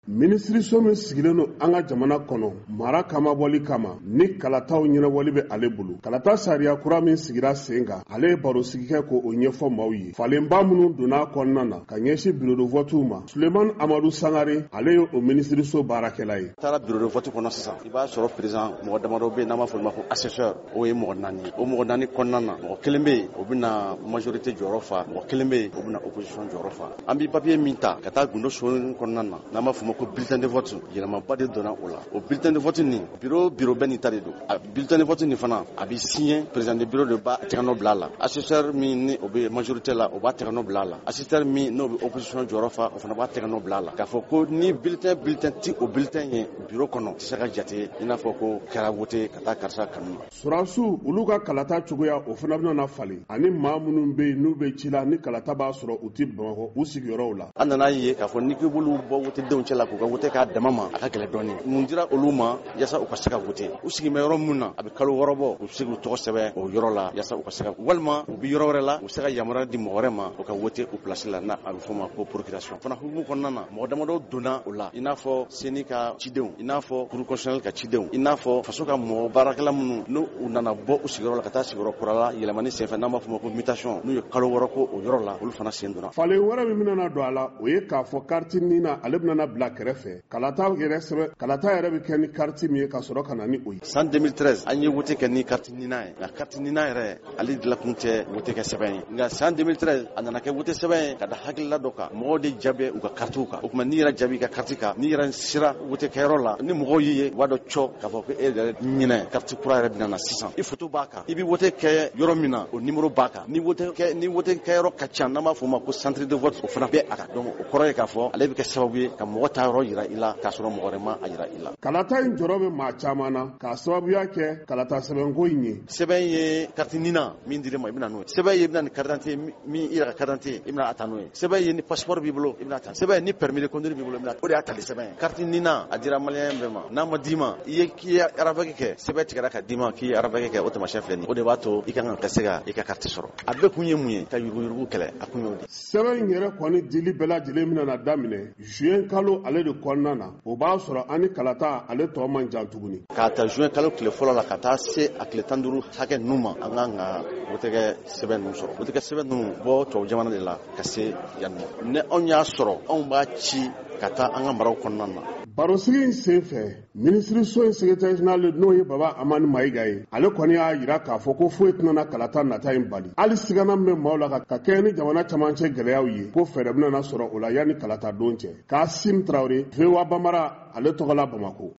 Minisiriso min sigilen don an ka jamana kɔnɔ mara kamabɔli kama, ni kalataw ɲɛnabɔli bɛ ale bolo, kalata sariya kura min sigira sen kan, ale ye barosigi kɛ k'o ɲɛfɔ maaw ye. Falenba minnu donna a kɔnɔna na ka ɲɛsin bureau de vote ma, Sulemani Amadu Sangare, ale ye o minisiriso baarakɛla ye. Taara bureau de vote kɔnɔ sisan, i b'a sɔrɔ président mɔgɔ damadɔ bɛ yen n'an b'a fɔ olu ma ko assesseur, o ye mɔgɔ 4 ye. O mɔgɔ 4 kɔnɔna na, mɔgɔ kelen bɛ yen, o bɛna majorité jɔyɔrɔ fa, mɔgɔ kelen bɛ yen, o bɛna opposition jɔyɔrɔ fa. An bɛ papier min ta ka taa gundo so kɔnɔna na, n'an b'a fɔ ma ko bulletin de vote, yɛlɛmaba de donna o la. O bulletin de vote nin, bureau bɛɛ n'i ta de don. A bulletin de vote nin fana, a bɛ signer, président de bureau de b'a tɛgɛnɔ bila a la. Assesseur min ni o bɛ majorité la, o b'a tɛgɛnɔ bila a la. Assesseur min n'o bɛ opposition jɔyɔrɔ fa, o fana b'a tɛgɛnɔ bila a la. K'a fɔ ko ni bulletin ti o bulletin ye bureau kɔnɔ, tɛ se ka jate i n'a fɔ ko kɛra vote ka taa karisa kanu ma. Sɔrɔdasiw, olu ka kalata cogoya, o fana bɛna falen, ani maa minnu bɛ yen n'u bɛ ci la, ni kalata b'a sɔrɔ u tɛ Bamakɔ u sigiyɔrɔw la. An nana ye k'a fɔ n'i k'i b'olu bɔ wotedenw cɛ la k'u ka wote k'a dama ma, a ka gɛlɛn dɔɔnin. Mun dira olu ma yasa u ka se ka wote? U sigin bɛ yɔrɔ min na, a bɛ kalo 6 bɔ, u bɛ se k'u tɔgɔ sɛbɛn o yɔrɔ la yasa u ka se ka, walima u bɛ yɔrɔ wɛrɛ la, u bɛ se ka yamaruya di mɔgɔ wɛrɛ ma u ka wote u place la, n'a a bɛ f'o ma ko procuration. Fana hukumu kɔnɔna na, mɔgɔ damadɔ donna o la, i n'a fɔ CENI ka cidenw, i n'a fɔ Cour constitutionnelle ka cidenw, i n'a fɔ faso ka mɔgɔ baarakɛla minnu n'u u nana bɔ u sigiyɔrɔ la ka taa sigiyɔrɔ kura la yɛlɛmani senfɛ, n'an b'a fɔ o ma ko mutation, n'u ye kalo 6 ko o yɔrɔ la, olu fana sen donna. Falen wɛrɛ min bɛna don a la, o ye k'a fɔ carte NINA, ale bɛna bila kɛrɛfɛ. Kalata yɛrɛ sɛbɛn, kalata yɛrɛ bɛ kɛ ni carte min ye ka sɔrɔ ka na ni o ye. San 2013, an ye wote kɛ ni carte NINA ye, nka carte NINA yɛrɛ, ale dilan kun tɛ wote kɛ sɛbɛn ye. Nka san 2013, a nana kɛ wote sɛbɛn ye ka da hakilila dɔ kan. Mɔgɔw de jaabi u ka kartiw kan. O tuma, n'i yɛrɛ jaabi i ka carte kan, n'i yɛrɛ sera wote kɛyɔrɔ la, ni mɔgɔw y'i ye, u b'a dɔn cɔ k'a fɔ ko e yɛrɛ ɲinɛ carte kura yɛrɛ bɛna na sisan. I photo b'a kan, i bɛ wote kɛ yɔrɔ min na, o numéro b'a kan. Ni wote kɛyɔrɔ ka ca, n'an b'a fɔ o ma ko centre de vote, o fana bɛ a kan. Donc o kɔrɔ ye k'a fɔ ale bɛ kɛ sababu ye ka mɔgɔ ta yɔrɔ yira i la k'a sɔrɔ mɔgɔ wɛrɛ ma a yira i la. Kalata in jɔrɔ bɛ maa caman na k'a sababuya kɛ kalata sɛbɛnko in ye. Sɛbɛn ye carte NINA min dir'i ma, i bɛna n'o ye. Sɛbɛn ye i bɛna ni carte d'identité min, i yɛrɛ ka carte d'identité, i bɛna a ta n'o ye. Sɛbɛn ye ni passeport b'i bolo, i bɛna ta. Sɛbɛn ye ni permis de conduire b'i bolo, i bɛna. O de y'a tali sɛbɛn ye. Carte NINA a dira malien bɛɛ ma. N'a ma d'i ma, i ye k'i ye RAVEC kɛ, sɛbɛn tigɛra ka d'i ma k'i ye RAVEC kɛ, o taamasiyɛn filɛ nin ye. O de b'a to i kan ka se ka i ka carte sɔrɔ. A bɛɛ kun ye mun ye? Ka yuruguyurugu kɛlɛ, a kun y'o de ye. Sɛbɛn in yɛrɛ kɔni dili bɛɛ lajɛlen bɛna daminɛ juin kalo ale de kɔnɔna na. O b'a sɔrɔ an ni kalata ale tɔ man jan tuguni. K'a ta juin kalo tile fɔlɔ la ka taa se a tile 15 hakɛ ninnu ma, an kan ka wotekɛ sɛbɛn ninnu sɔrɔ. Wotekɛ sɛbɛn ninnu bɔ tubabu jamana de la ka se yan nɔ. Ni anw y'a sɔrɔ, anw b'a ci ka taa an ka maraw kɔnɔna na. Barosigi in senfɛ, minisiriso in secrétaire général, n'o ye Baba Amani Mayiga ye, ale kɔni y'a yira k'a fɔ ko foyi tɛna kalata nata in bali. Hali sigana min bɛ maaw la ka kɛɲɛ ni jamana camancɛ gɛlɛyaw ye, ko fɛɛrɛ bɛna sɔrɔ o la yanni kalata don cɛ. Kasim Tarawele, VOA Bambara, ale tɔgɔ la Bamako.